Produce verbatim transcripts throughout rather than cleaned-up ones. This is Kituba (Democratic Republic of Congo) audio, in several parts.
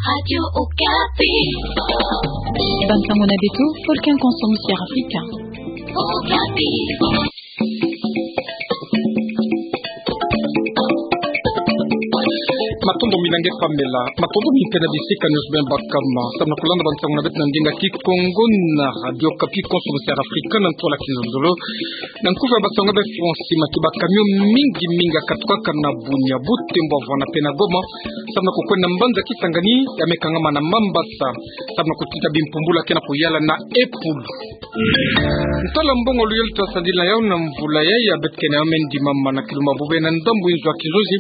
Radio Okapi. Bansango na beto, Volcan Consommateur Africain. Okapi. Matondo mingi nge Pamela, matondo mingi mpe na bisika nyonso beno bakama samu na kulanda bansango na beto na ndinga Kikongo na Radio Okapi, Consommateur Africain na ntwala kizololo. Na nkufi ya bansango ya be Français, matu ba camion mingi mingi ya katukaka na Bunia, Butembo, Havana mpe na Goma, samu na kukwenda na mbanza Kisangani, ya me kangama na Mambasa, samu na kutita bimpumbulu ya ke na kuyala na Epulu. Ntwala mbongo luyalu twasadila yau na mvula yayi, ya beto kena yau me ndimama na kilu mabubu na ndambu inzo ya kinzonzi,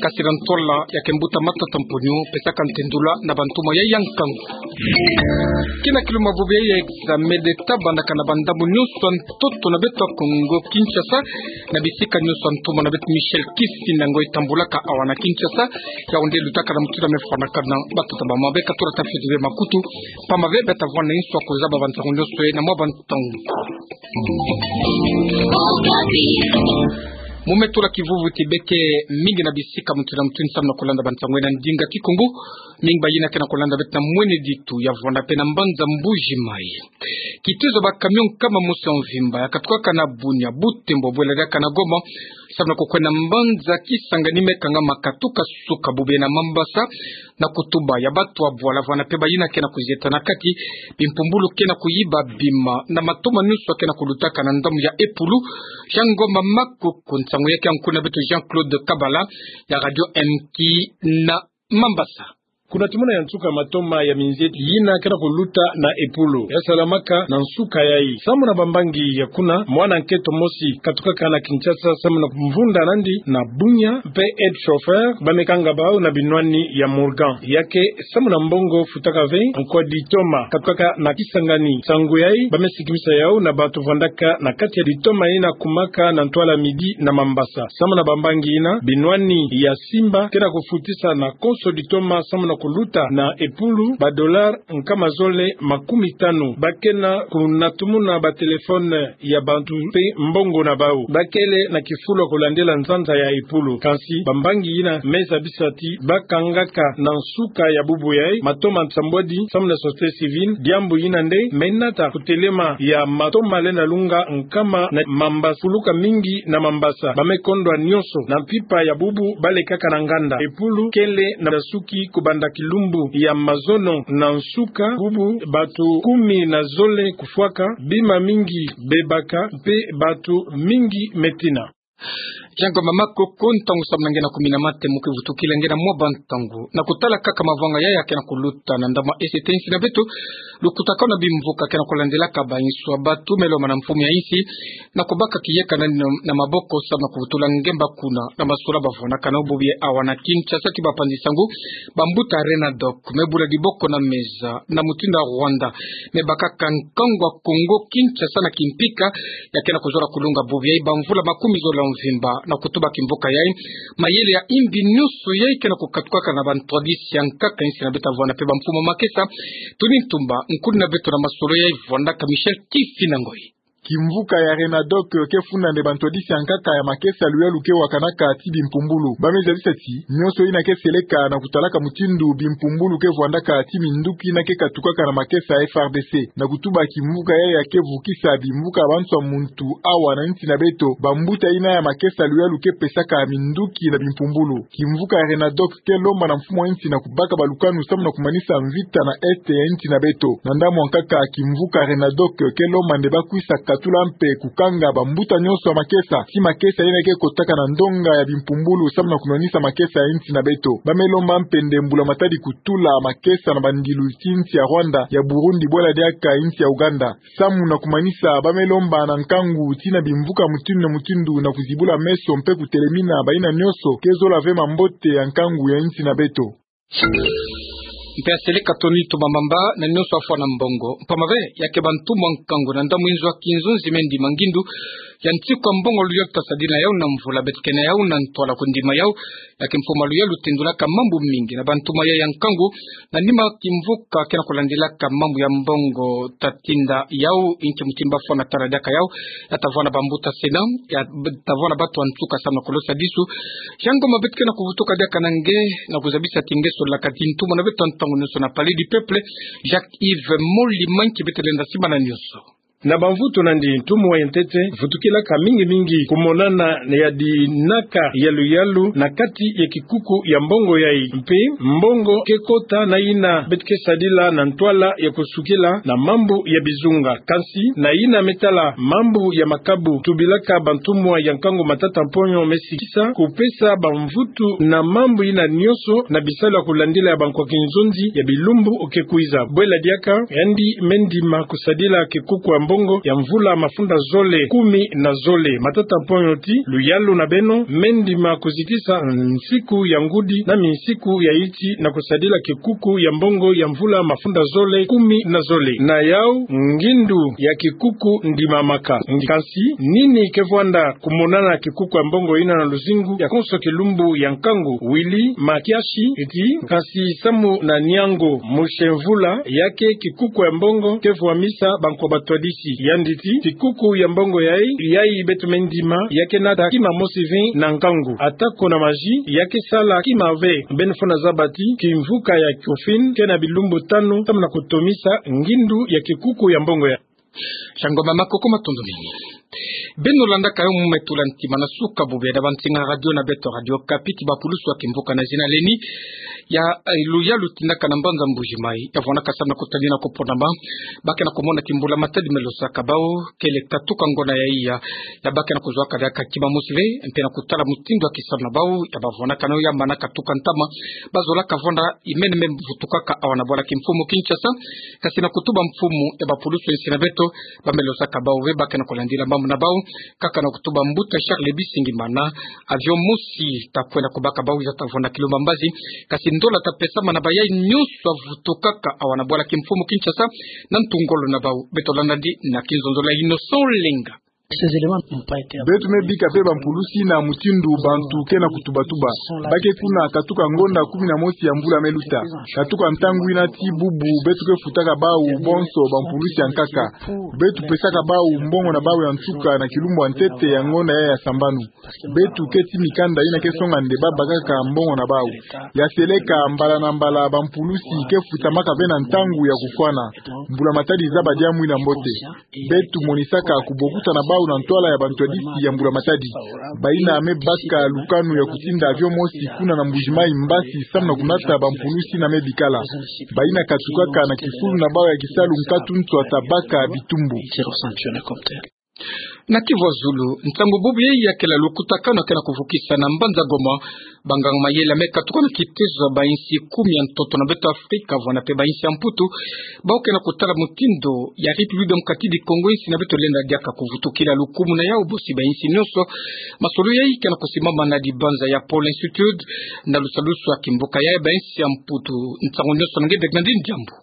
kasi na ntwala ya ke mbuta Matata Mponyo, pesaka ntendula na bantoma yayi ya nkangu. Kina kilu mabubu ya examen d'État bandaka na bandambu nyonso ya ntoto na beto ya Kongo Kinshasa, na bisika nyonso ya ntoma na beto Michel Kifinangoi tambulaka awa na Kinshasa, yau nde lutaka na mutindu ya me fwanakana batata mama. Beka tula tafeti be makutu, pamba be beta vwanda inso ya kuzaba bansango nyonso ye na mwa bantangu. Mu me tula kivuvu ti beke mingi na bisika mutindu na mutindu samu na kulanda bansango ye na ndinga Kikongo, mingi bayina ke na kulanda beto na mwene ditu ya vwanda mpe na mbanza Mbuji Mayi. Kitizo ba camion nkama mosi ya mvimba ya katukaka na Bunia, Butembo, bwela diaka na Goma, samu na kukwenda na mbanza Kisangani, me kangama katuka suka bubu ye na Mambasa, na kutuba ya batu ya bwala vwanda mpe bayina ke na kuzieta na kati, bimpumbulu ke na kuyiba, bima na matoma nyonso ke na kulutaka na ndambu ya Epulu. Jean Ngoma Makoko, nsangu ya ke ya nkuna beto Jean-Claude Kabala ya Radio M K na Mambasa. Kuna tumona ya nsuka matoma ya minzieti yina ke na kuluta na Epulu, ya salamaka na nsuka yayi. Samu na bambangi ya kuna, mwana nketo mosi katukaka na Kinshasa samu na kumvunda nandi na Bunia, mpe aide chauffeur, ba me kanga bau na binwani ya Morgan. Ya ke samu na mbongo futaka ve nkwa ditoma katukaka na Kisangani. Nsangu yayi, ba me sikimisa yau na batu vwandaka na kati ya ditoma yina kumaka na ntwala midi na Mambasa. Samu na bambangi yina, binwani ya Simba ke na kufutisa na konso ditoma samu na kuluta na Epulu ba dollar nkama zole makumi tanu. Ba ke na kunatumuna ba téléphone ya bantu mpe mbongo na bau. Ba kele na kifulu ya kulandila nzanza ya Epulu. Kansi bambangi yina me zabisa ti ba kangaka na nsuka ya bubu yayi matoma nsambwadi samu na société civile, diambu yina nde me nata kutelema ya matoma lenda lunga nkama na Mambasa, fuluka mingi na Mambasa. Ba me kondwa nyonso na mpimpa ya bubu ba lekaka na nganda. Epulu kele na suki kubanda kilumbu ya mazono na nsuka bubu, batu kumi na zole kufwaka, bima mingi bebaka, mpe batu mingi me tina. Jean Ngoma Makoko, ntangu samu na nge na kumi na mate mu ke vutukila nge na mwa bantangu. Na kutala kaka mavanga yayi ya ke na kuluta na ndambu ya Est ya insi na beto, lukutakanu na bimvuka ke na kulandilaka ba inso ya batu, me lomba na mfumu ya insi na kubaka kiyeka na, na, na maboko samu na kuvutula ngemba kuna na masula ba vwandaka nao bubu yayi awa na Kinshasa ti bapanzi nsangu, bambuta Renadoc, me bula diboko na meza na mutindu ya Rwanda, me bakaka nkangu ya Congo Kinshasa na kimpika, ya ke na kuzola kulunga bubu yayi ba mvula makumi zole ya mvimba, na kutuba kimvuka yayi, mayele ya imbi nyonso yayi ke na kukatukaka na ba ntwadisi ya nkaka insi na beto ya vwanda mpe ba mfumu ya makesa. Tony Ntumba, nkuni na beto na masolo yayi, vwandaka Michel Kifinangoi. Kimvuka ya Renadoc ke funda nde ba ntwadisi ya nkaka ya makesa luyalu ke wakanaka ti bimpumbulu. Ba me zabisa ti nyonso yina ke seleka na kutalaka mutindu bimpumbulu ke vwandaka ti minduki yina ke katukaka na makesa ya F R D C. Na kutuba kimvuka yayi ya ke vukisa bimvuka ya bantu ya muntu awa na insi na beto, bambuta yina ya makesa luyalu ke pesaka minduki na bimpumbulu. Kimvuka ya Renadoc ke lomba na mfumu ya insi na kubaka ba lukanu samu na kumanisa mvita na Est ya insi na beto. Na ndambu ya nkaka, kimvuka Renadoc ke lomba nde ba kwisa katula mpe kukanga bambuta nyonso ya makesa, ti makesa yina ke kotaka na ndonga ya bimpumbulu samu na kumanisa makesa ya insi na beto. Ba me lomba mpe nde mbula matadi kutula makesa na bandilu ti insi ya Rwanda, ya Burundi, bwela diaka insi ya Uganda, samu na kumanisa. Ba me lomba na nkangu ti na bimvuka mutindu na mutindu na kuzibula meso mpe kutelemina bayina nyonso ke zola ve mambote ya nkangu ya insi na beto. Mpe ya seleka Tony Ntumba mamba na nyonso afwa na mbongo. Mpamba ve, ya ke bantu mwa nkangu na ndambu inzo ya kinzonzi me ndima ngindu ya nsiku ya mbongo luyalu twasadila yau na mvula, beto kena yau na ntwala kundima yau, ya ke mfumu luyalu tendulaka mambu mingi na bantoma yayi ya nkangu, na nima kimvuka ke na kulandilaka mambu ya mbongo tatinda yau, inki mutindu bafwana tala diaka yau, ya tavwana bambuta Sénat, ya tavwana batu ya nsuka samu na kulosa disu. Yango ma beto ke na kuvutuka diaka na nge, na kuzabisa ti nge solaka ti ntoma na beto ntangu nyonso na Palais du Peuple, Jacques-Yves Moli Manki beto lenda simbana nyonso. Na bamvutu nandi, ntumwa ya ntete vutukilaka mingi mingi kumonana ya dinaka ya luyalu na kati ya kikuku ya mbongo yai. Mpe mbongo ke kota na yina beto ke sadila na ntwala ya kusukila na mambu ya bizunga. Kansi na yina me tala mambu ya makabu, tubilaka bantumwa ya nkangu Matata Mponyo me sikisa kupesa bamvutu na mambu yina nyonso na bisalu ya kulandila ya bankwa kinzonzi ya bilumbu ke kwiza. Bwela diaka, yandi me ndima kusadila kikuku ya mbongo ya mvula mafunda zole kumi na zole. Matata Mponyo ti luyalu na beno, me ndima kuzitisa nsiku ya ngudi na minsiku ya iti na kusadila kikuku ya mbongo ya mvula mafunda zole kumi na zole. Na yau, ngindu ya kikuku ndimamaka. Kansi nini ke vwanda kumonana kikuku ya mbongo yina na luzingu ya konso kilumbu ya nkangu? Willy Makiashi ti, kansi samu na Niango Mushenvula, ya ke kikuku ya mbongo ke vwamisa bankwa batwadisi. Yandi ti, kikuku ya mbongo yai, yai beto me ndima, ya ke nata kima mosi ve na nkangu. Atako na maji, ya ke sala kima ve. Beno fo na zaba ti kimvuka ya COFIN ke na bilumbu tanu samu na kutomisa ngindu ya kikuku ya mbongo yai. Shango mama koko, matondo mingi. Beno landaka yo mu matula ntima na suka bubu ya da bansinga radio na beto Radio Okapi, ki bapulusu ya kimvuka na zina leni ya, eh, luyalu tinaka na mbanza Mbuji-Mayi, ya vwanaka samu na kutadina ko ponama ba ke na kumona ki mbula matadi me losaka bau, kele katuka ngonda ya iya, ya ba ke na kuzwaka diaka kima mosi ve, mpe na kutala mutindu ya kisalu na bau, ya ba vwanaka na yo ya mana katuka ntama, ba zolaka vwanda imene me vutukaka awa na bwala kimfumu Kinshasa, kasi na kutuba mfumu ya bapulusu ya nsi na beto, ba me losaka bau ve ba ke na kulandila mambu na bau, kaka na kutuba mbuta Charles Bisingimana, avion mosi ta kwenda kubaka bau, wiza ta vwanda kilumbu mbazi, kasi ndola ta pesama na bayai nyonso ya vutukaka awa na bwala kimfumu Kinshasa, na ntu ngolo na bau. Beto landa di na kinzonzolo ya Innocent Olenga. Beto me bika pe bampulusi na mutindu bantu ke na kutubatuba. Ba ke kuna katuka ngonda kumi na mosi ya mvula me luta. Katuka ntangu yina ti bubu, beto ke futaka bau bonso bampulusi ya nkaka. Beto pesaka bau mbongo na bau ya nsuka na kilumbu ya ntete ya ngonda ya, ya sambanu. Beto keti mikanda yina ke songa nde ba bakaka mbongo na bau. Ya seleka, mbala na mbala bampulusi ke futamaka ve na ntangu ya kufwana. Mbula matadi zaba diambu yina mbote. Beto monisaka kubokusa na bau na ntwala ya bantwadisi ya mbula matadi. Bayina me baka lukanu ya kutinda avion mosi kuna na Mbuji-Mayi mbasi samu na kunata bampulusi yina me bikala. Bayina katukaka na kifulu na bau ya kisalu nkatu nswa ta baka bitumbu. Na Kivu ya Zulu, ntangu bubu yai ya kela lukutakanu ya ke na kuvukisa na mbanza Goma, banganga mayela me katuka na kitezo ya bainsi kumi ya ntoto na beto Afrika, vwanda pe bainsi ya Mputu, bau ke na kutala mutindu ya République démocratique du Congo, insi yina beto lenda diaka kuvutukila lukumu na yau bosi bainsi nyonso. Masolo yai ke na kusimbama na dibanza ya Pôle Institute, na lusalusu ya kimvuka ya bainsi ya Mputu. Nsangu nyonso na nge Bernardine Diambu.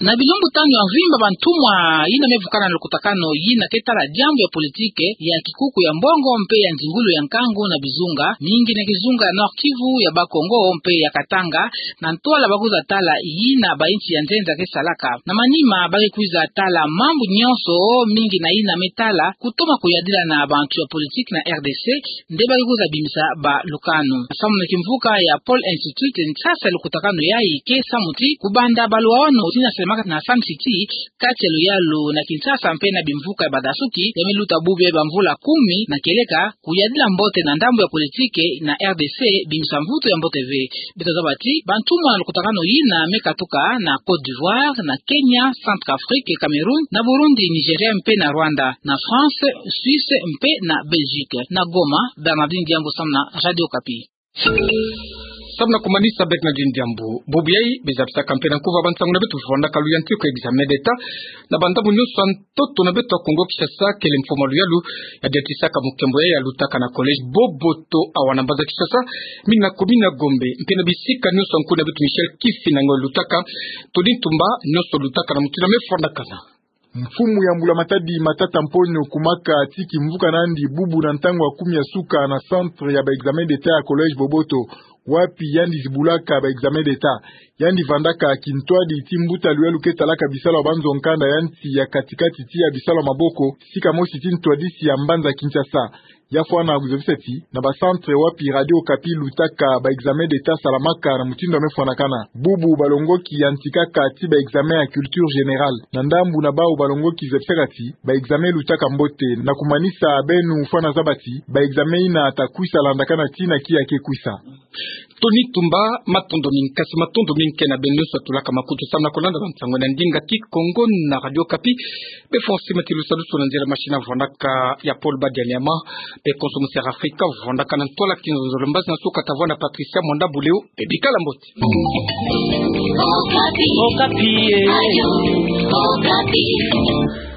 Na bilumbu tanu ya mvimba, bantumwa yina me vukana na lukutakanu yina ke tala diambu ya politike, ya kikuku ya mbongo mpe ya nzingulu ya nkangu na bizunga, mingi na kizunga ya Nord-Kivu, ya Bas-Congo mpe ya Katanga, na ntwala ba kwiza tala yina bainsi ya nzenza ke salaka. Na manima ba ke kwiza tala mambu nyonso, mingi na yina me tala kutoma kuyadila na bantu ya politike na R D C, nde ba ke kwiza bimisa balukanu. Samu na kimvuka ya Pôle Institute, nsasa ya lukutakanu yai ke samu ti kubanda baluwawanu tina selemaka na Sun City, kati ya luyalu na Kinshasa mpe na bimvuka ya badasuki, ya me luta bubu ya bamvula kumi na kieleka, kuyadila mbote na ndambu ya politike na R D C, bimisa mvutu ya mbote ve. Beto zaba ti bantumwa na lukutakanu yina me katuka na Côte d'Ivoire, na Kenya, Centrafrique, Cameroun, na Burundi, Nigeria mpe na Rwanda, na France, Suisse mpe na Belgique. Na Goma, Bernardine Diambu samu na Radio Okapi. Samu na kumanisa, Bernardine Diambu, bubu yai beza bisaka mpe na nkuva bansangu na beto vwandaka luyantiku ya examen d'État na bandambu nyonso ya ntoto na beto ya Kongo Kinshasa, kele mfumu ya luyalu ya diatisaka mukembo yai ya lutaka na collège Boboto awa na mbanza Kinshasa, mina commune ya Gombe, mpe na bisika nyonso ya nkundi na beto Michel Kifinda nge lutaka, Tony Ntumba, nyonso lutaka na mutindu ya me fwandakana. Mfumu ya mbula matadi Matata Mponyo Kumaka ti kimvuka nandi bubu na ntangu ya kumi ya suka na centre ya ba examen d'État ya collège Boboto, wapi yandi zibulaka ba examen d'État. Yandi vandaka kintwadi ti mbuta luyalu ke talaka bisalu ya banzo nkanda ya nsi ya kati-kati ti ya bisalu ya maboko, sika mosi ti ntwadisi ya mbanza Kinshasa. Ya fwana kuzabisa ti, na ba centre wapi Radio Okapi lutaka ba examen d'Etat salamaka na mutindu ya me fwanakana, bubu balongoki yantikaka ti ba examen ya culture générale. Na ndambu na bawu balongoki zabisaka ti, ba examen lutaka mbote, na kumanisa beno fwana zaba ti, ba examen yina ta kwisa landakana tii na kiya ke kwisa. Tony Tumba, matondo mingi, kasi matondo mingi ke na beno nyonso batulaka makutu samu na kulanda bansangu na ndinga Kikongo na Radio Okapi. Be fo si matilu salusu na nzere machine vandaka ya Paul Badianyama. Be konso Musi Afrika vandaka na ntwala kinzonzolo, mbazi na suka tavwanda Patricia Mwanda Buleo. Be bikala mbote. Okapi. Okapi, eh. Radio Okapi.